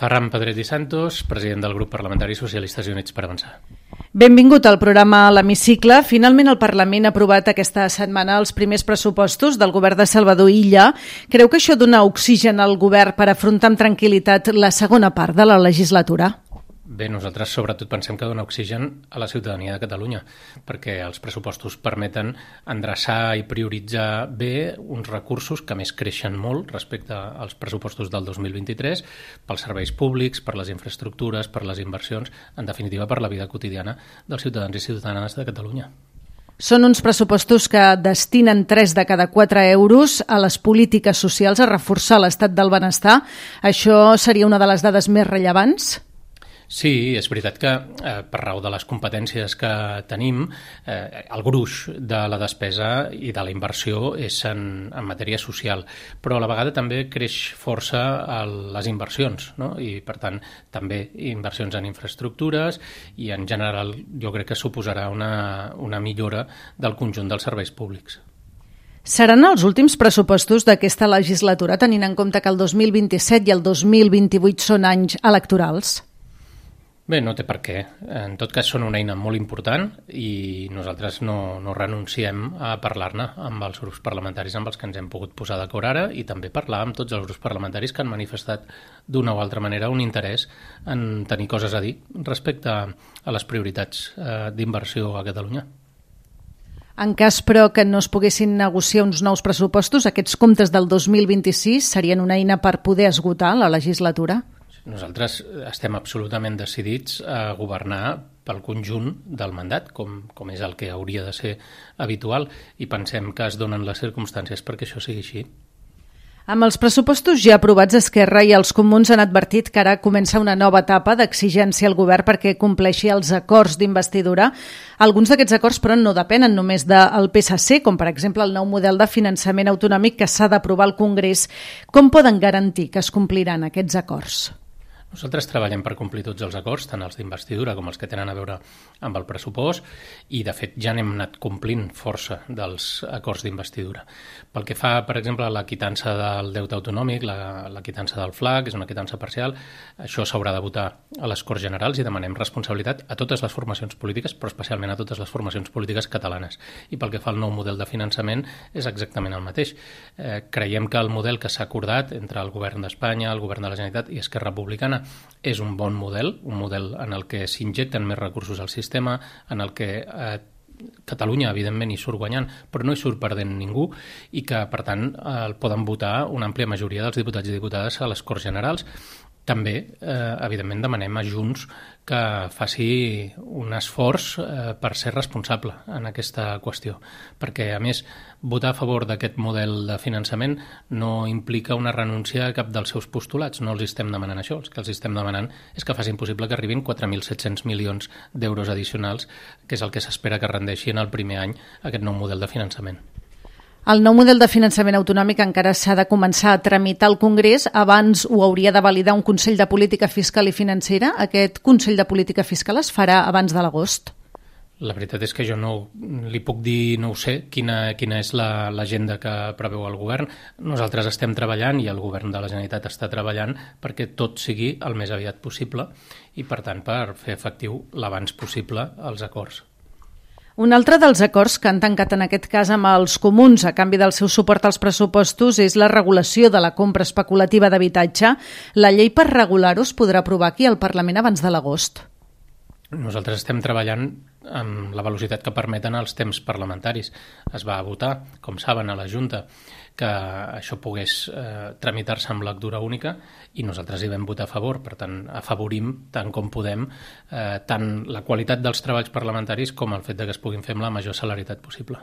Ferran Pedret i Santos, president del grup parlamentari Socialistes i Units per Avançar. Benvingut al programa L'Hemicicle. Finalment el Parlament ha aprovat aquesta setmana els primers pressupostos del govern de Salvador Illa. Creu que això dona oxigen al govern per afrontar amb tranquil·litat la segona part de la legislatura? Bé, nosaltres sobretot pensem que dona oxigen a la ciutadania de Catalunya, perquè els pressupostos permeten endreçar i prioritzar bé uns recursos que més creixen molt respecte als pressupostos del 2023 pels serveis públics, per les infraestructures, per les inversions, en definitiva per la vida quotidiana dels ciutadans i ciutadanes de Catalunya. Són uns pressupostos que destinen 3 de cada 4 euros a les polítiques socials, a reforçar l'estat del benestar. Això seria una de les dades més rellevants? Sí, és veritat que per raó de les competències que tenim, el gruix de la despesa i de la inversió és en matèria social, però a la vegada també creix força les inversions, no? I per tant també inversions en infraestructures i en general jo crec que suposarà una millora del conjunt dels serveis públics. Seran els últims pressupostos d'aquesta legislatura, tenint en compte que el 2027 i el 2028 són anys electorals? Bé, no té per què. En tot cas són una eina molt important i nosaltres no renunciem a parlar-ne amb els grups parlamentaris amb els que ens hem pogut posar d'acord ara i també parlar amb tots els grups parlamentaris que han manifestat d'una o altra manera un interès en tenir coses a dir respecte a les prioritats d'inversió a Catalunya. En cas, però, que no es poguessin negociar uns nous pressupostos, aquests comptes del 2026 serien una eina per poder esgotar la legislatura? Nosaltres estem absolutament decidits a governar pel conjunt del mandat, com és el que hauria de ser habitual, i pensem que es donen les circumstàncies perquè això sigui així. Amb els pressupostos ja aprovats, Esquerra i els Comuns han advertit que ara comença una nova etapa d'exigència al govern perquè compleixi els acords d'investidura. Alguns d'aquests acords, però, no depenen només del PSC, com per exemple el nou model de finançament autonòmic que s'ha d'aprovar al Congrés. Com poden garantir que es compliran aquests acords? Nosaltres treballem per complir tots els acords, tant els d'investidura com els que tenen a veure amb el pressupost, i de fet ja n'hem anat complint força dels acords d'investidura. Pel que fa, per exemple, a la quitança del deute autonòmic, la quitança del FLA, que és una quitança parcial, això s'haurà de votar a les Corts Generals i demanem responsabilitat a totes les formacions polítiques, però especialment a totes les formacions polítiques catalanes. I pel que fa al nou model de finançament és exactament el mateix. Creiem que el model que s'ha acordat entre el govern d'Espanya, el govern de la Generalitat i Esquerra Republicana és un bon model, un model en el que s'injecten més recursos al sistema, en el que Catalunya, evidentment, hi surt guanyant, però no hi surt perdent ningú i que, per tant, el poden votar una àmplia majoria dels diputats i diputades a les Corts Generals. També, evidentment, demanem a Junts que faci un esforç per ser responsable en aquesta qüestió, perquè, a més, votar a favor d'aquest model de finançament no implica una renúncia a cap dels seus postulats. No els estem demanant això. El que els estem demanant és que facin possible que arribin 4.700 milions d'euros addicionals, que és el que s'espera que rendeixi en el primer any aquest nou model de finançament. El nou model de finançament autonòmic encara s'ha de començar a tramitar al Congrés. Abans ho hauria de validar un Consell de Política Fiscal i Financera. Aquest Consell de Política Fiscal es farà abans de l'agost? La veritat és que jo no li puc dir, no ho sé, quina és l'agenda que preveu el govern. Nosaltres estem treballant i el govern de la Generalitat està treballant perquè tot sigui el més aviat possible i, per tant, per fer efectiu l'abans possible els acords. Un altre dels acords que han tancat en aquest cas amb els Comuns a canvi del seu suport als pressupostos és la regulació de la compra especulativa d'habitatge. La llei per regular-ho es podrà aprovar aquí al Parlament abans de l'agost. Nosaltres estem treballant amb la velocitat que permeten els temps parlamentaris. Es va votar, com saben, a la Junta que això pogués tramitar-se amb lectura única i nosaltres hi vam votar a favor. Per tant, afavorim tant com podem tant la qualitat dels treballs parlamentaris com el fet que es puguin fer amb la major celeritat possible.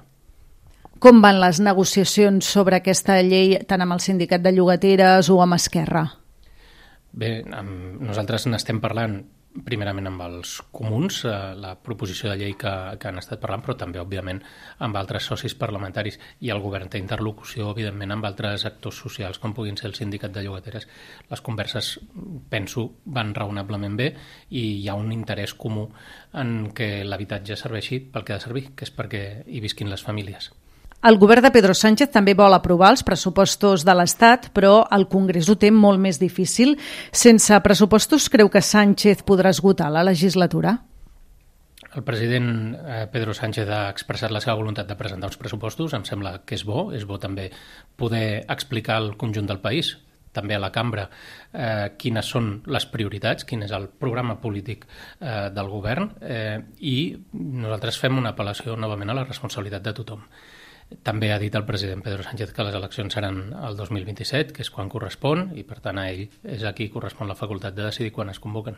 Com van les negociacions sobre aquesta llei tant amb el sindicat de llogateres o amb Esquerra? Bé, nosaltres n'estem parlant primerament amb els Comuns, la proposició de llei que han estat parlant, però també, òbviament, amb altres socis parlamentaris, i el govern té interlocució, evidentment, amb altres actors socials, com puguin ser el sindicat de llogateres. Les converses, penso, van raonablement bé i hi ha un interès comú en que l'habitatge serveixi pel que ha de servir, que és perquè hi visquin les famílies. El govern de Pedro Sánchez també vol aprovar els pressupostos de l'Estat, però el Congrés ho té molt més difícil. Sense pressupostos, creu que Sánchez podrà esgotar la legislatura? El president Pedro Sánchez ha expressat la seva voluntat de presentar uns pressupostos. Em sembla que és bo també poder explicar al conjunt del país, també a la cambra, quines són les prioritats, quin és el programa polític del govern, i nosaltres fem una apel·lació novament a la responsabilitat de tothom. També ha dit el president Pedro Sánchez que les eleccions seran el 2027, que és quan correspon, i per tant a ell és a qui correspon la facultat de decidir quan es convoquen.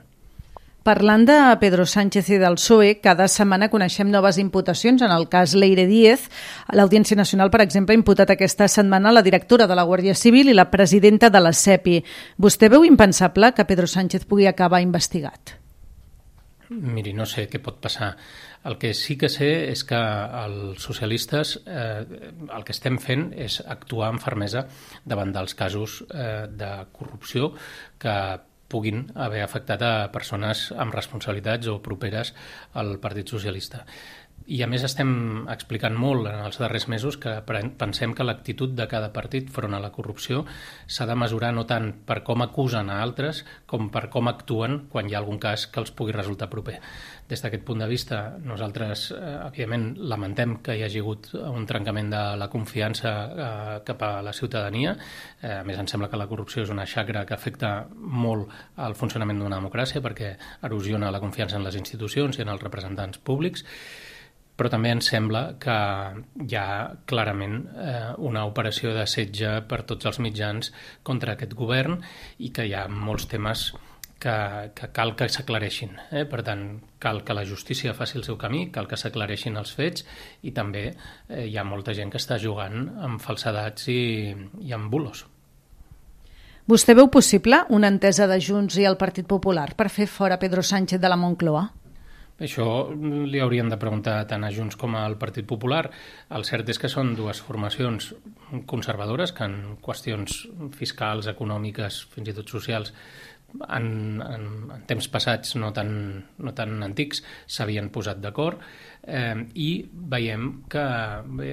Parlant de Pedro Sánchez i del PSOE, cada setmana coneixem noves imputacions. En el cas Leire Díez, l'Audiència Nacional, per exemple, ha imputat aquesta setmana la directora de la Guàrdia Civil i la presidenta de la CEPI. Vostè veu impensable que Pedro Sánchez pugui acabar investigat? Miri, no sé què pot passar. El que sí que sé és que els socialistes el que estem fent és actuar amb fermesa davant dels casos de corrupció que puguin haver afectat a persones amb responsabilitats o properes al Partit Socialista. I a més estem explicant molt en els darrers mesos que pensem que l'actitud de cada partit front a la corrupció s'ha de mesurar no tant per com acusen a altres com per com actuen quan hi ha algun cas que els pugui resultar proper. Des d'aquest punt de vista, nosaltres, evidentment, lamentem que hi hagi hagut un trencament de la confiança cap a la ciutadania. A més, ens sembla que la corrupció és una xacra que afecta molt al funcionament d'una democràcia perquè erosiona la confiança en les institucions i en els representants públics. Però també ens sembla que hi ha clarament una operació de setge per tots els mitjans contra aquest govern i que hi ha molts temes que cal que s'aclareixin. Per tant, cal que la justícia faci el seu camí, cal que s'aclareixin els fets i també hi ha molta gent que està jugant amb falsedats i amb bulos. Vostè veu possible una entesa de Junts i el Partit Popular per fer fora Pedro Sánchez de la Moncloa? Això li haurien de preguntar tant a Junts com al Partit Popular. El cert és que són dues formacions conservadores que en qüestions fiscals, econòmiques, fins i tot socials, en temps passats no tan antics s'havien posat d'acord i veiem que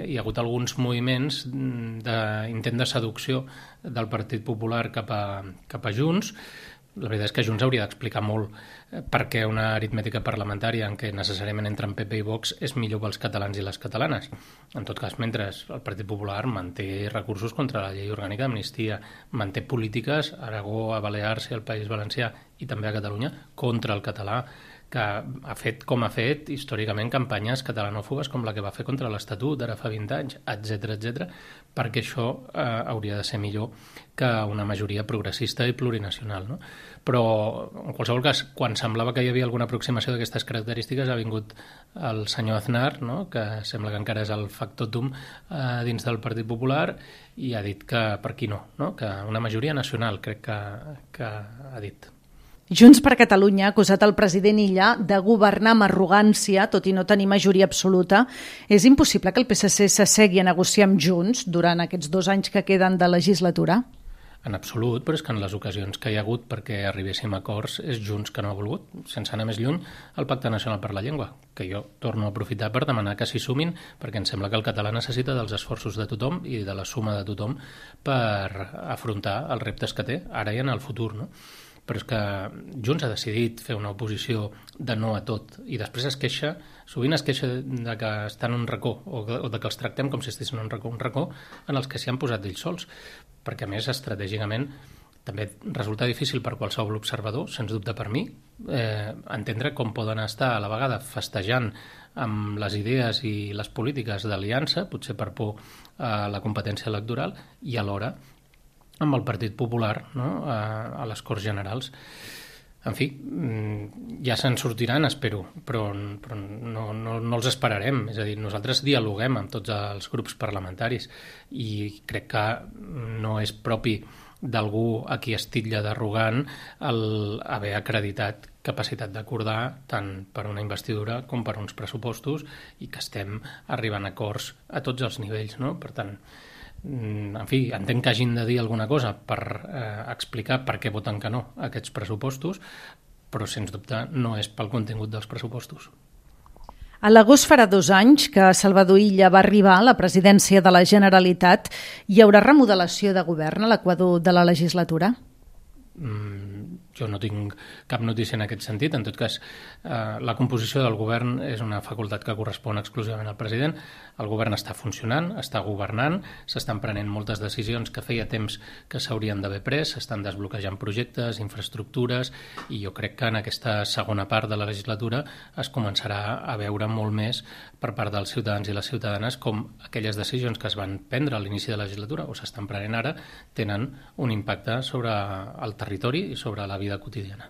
hi ha hagut alguns moviments d'intent de seducció del Partit Popular cap a Junts. La veritat és que Junts hauria d'explicar molt per què una aritmètica parlamentària en què necessàriament entren PP i Vox és millor pels catalans i les catalanes. En tot cas, mentre el Partit Popular manté recursos contra la llei orgànica d'amnistia, manté polítiques a Aragó, a Balears i al País Valencià i també a Catalunya contra el català, que ha fet com ha fet històricament campanyes catalanòfobes com la que va fer contra l'Estatut ara fa 20 anys, etc, perquè això hauria de ser millor que una majoria progressista i plurinacional, no? Però, en qualsevol cas, quan semblava que hi havia alguna aproximació d'aquestes característiques ha vingut el senyor Aznar, no? Que sembla que encara és el factotum dins del Partit Popular i ha dit que per aquí no? Que una majoria nacional crec que ha dit. Junts per Catalunya ha acusat el president Illa de governar amb arrogància, tot i no tenir majoria absoluta. És impossible que el PSC s'assegui a negociar amb Junts durant aquests 2 anys que queden de legislatura? En absolut, però és que en les ocasions que hi ha hagut perquè arribéssim a acords és Junts que no ha volgut, sense anar més lluny, el Pacte Nacional per la Llengua, que jo torno a aprofitar per demanar que s'hi sumin, perquè em sembla que el català necessita dels esforços de tothom i de la suma de tothom per afrontar els reptes que té, ara i en el futur, no? Però és que Junts ha decidit fer una oposició de no a tot i després sovint es queixa de que està en un racó o de que els tractem com si estiguessin en un racó en els que s'hi han posat ells sols, perquè a més estratègicament també resulta difícil per qualsevol observador, sens dubte per mi, entendre com poden estar a la vegada festejant amb les idees i les polítiques d'aliança, potser per por a la competència electoral, i alhora amb el Partit Popular, no? A les Corts Generals. En fi, ja se'n sortiran, espero, però no els esperarem. És a dir, nosaltres dialoguem amb tots els grups parlamentaris i crec que no és propi d'algú a qui es titlla d'arrogant haver acreditat capacitat d'acordar tant per una investidura com per uns pressupostos i que estem arribant a acords a tots els nivells, no? Per tant, en fi, entenc que hagin de dir alguna cosa per explicar per què voten que no a aquests pressupostos, però sens dubte no és pel contingut dels pressupostos. A l'agost farà 2 anys que Salvador Illa va arribar a la presidència de la Generalitat. Hi haurà remodelació de govern a l'equador de la legislatura? Jo no tinc cap notícia en aquest sentit. En tot cas, la composició del govern és una facultat que correspon exclusivament al president. El govern està funcionant, està governant, s'estan prenent moltes decisions que feia temps que s'haurien d'haver pres, s'estan desbloquejant projectes, infraestructures, i jo crec que en aquesta segona part de la legislatura es començarà a veure molt més per part dels ciutadans i les ciutadanes com aquelles decisions que es van prendre a l'inici de la legislatura o s'estan prenent ara tenen un impacte sobre el territori i sobre la vida quotidiana.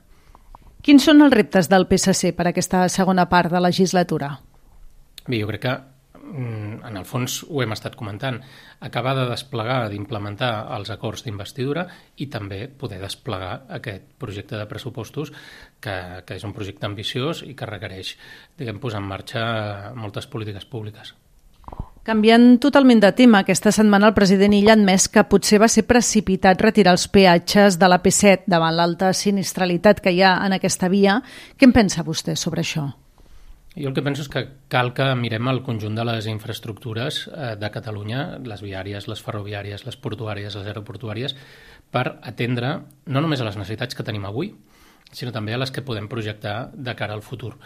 Quins són els reptes del PSC per a aquesta segona part de legislatura? Bé, jo crec que en el fons ho hem estat comentant, acabar de desplegar, d'implementar els acords d'investidura i també poder desplegar aquest projecte de pressupostos que és un projecte ambiciós i que requereix, posar en marxa moltes polítiques públiques. Canviant totalment de tema, aquesta setmana el president Illa ha admès que potser va ser precipitat retirar els peatges de la P7 davant l'alta sinistralitat que hi ha en aquesta via. Què en pensa vostè sobre això? Jo el que penso és que cal que mirem el conjunt de les infraestructures de Catalunya, les viàries, les ferroviàries, les portuàries, les aeroportuàries, per atendre no només a les necessitats que tenim avui, sinó també a les que podem projectar de cara al futur.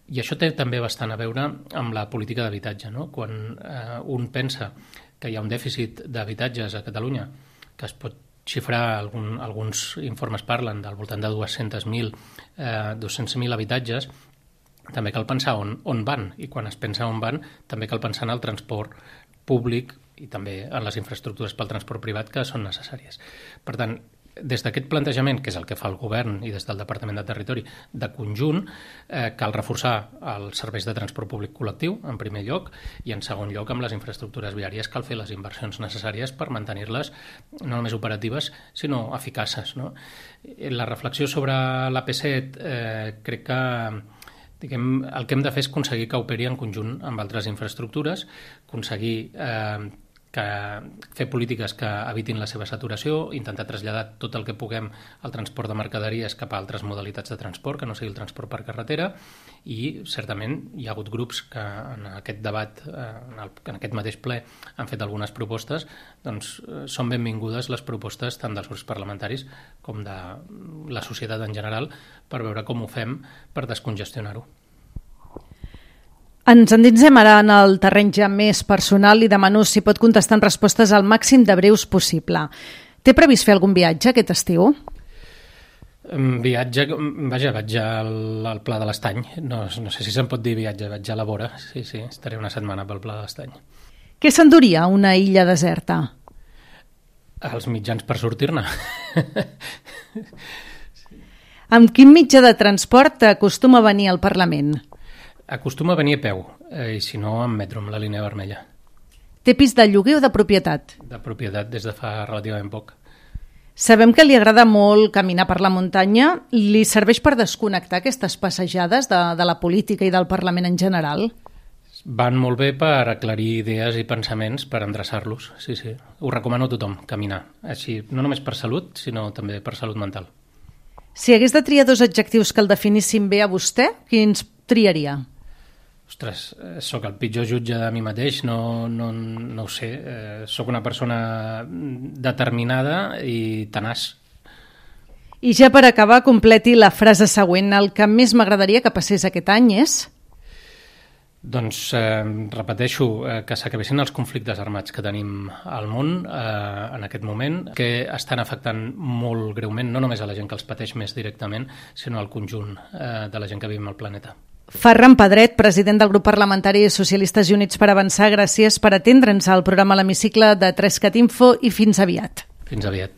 I això té també bastant a veure amb la política d'habitatge, no? Quan un pensa que hi ha un dèficit d'habitatges a Catalunya, que es pot xifrar, alguns informes parlen del voltant de 200.000 habitatges, també cal pensar on van, i quan es pensa on van també cal pensar en el transport públic i també en les infraestructures pel transport privat que són necessàries. Per tant, des d'aquest plantejament, que és el que fa el govern i des del Departament de Territori, de conjunt, cal reforçar els serveis de transport públic col·lectiu, en primer lloc, i en segon lloc, amb les infraestructures viàries, cal fer les inversions necessàries per mantenir-les no només operatives, sinó eficaces, no? La reflexió sobre l'AP7 crec que el que hem de fer és aconseguir que operi en conjunt amb altres infraestructures, aconseguir fer polítiques que evitin la seva saturació, intentar traslladar tot el que puguem al transport de mercaderies cap a altres modalitats de transport, que no sigui el transport per carretera, i certament hi ha hagut grups que en aquest debat, en aquest mateix ple, han fet algunes propostes. Doncs són benvingudes les propostes tant dels grups parlamentaris com de la societat en general per veure com ho fem per descongestionar-ho. Ens endinsem ara en el terreny ja més personal i demano si pot contestar en respostes al màxim de breus possible. Té previst fer algun viatge aquest estiu? Viatge, vaig al Pla de l'Estany. No sé si se'n pot dir viatge, vaig a la vora. Sí, estaré una setmana pel Pla de l'Estany. Què s'enduria a una illa deserta? Els mitjans per sortir-ne. Amb quin mitjà de transport acostuma a venir al Parlament? Acostuma a venir a peu, i si no, amb metro, amb la línia vermella. Té pis de lloguer o de propietat? De propietat, des de fa relativament poc. Sabem que li agrada molt caminar per la muntanya. Li serveix per desconnectar aquestes passejades de la política i del Parlament en general? Van molt bé per aclarir idees i pensaments, per endreçar-los. Sí. Ho recomano a tothom, caminar. Així, no només per salut, sinó també per salut mental. Si hagués de triar 2 adjectius que el definissin bé a vostè, quins triaria? Ostres, sóc el pitjor jutge de mi mateix, no ho sé. Sóc una persona determinada i tenaç. I ja per acabar, completi la frase següent. El que més m'agradaria que passés aquest any és? Doncs repeteixo, que s'acabessin els conflictes armats que tenim al món en aquest moment, que estan afectant molt greument, no només a la gent que els pateix més directament, sinó al conjunt de la gent que vivim al planeta. Ferran Pedret, president del grup parlamentari Socialistes i Units per Avançar, gràcies per atendre'ns al programa L'Hemicicle de 3CAT Info i fins aviat. Fins aviat.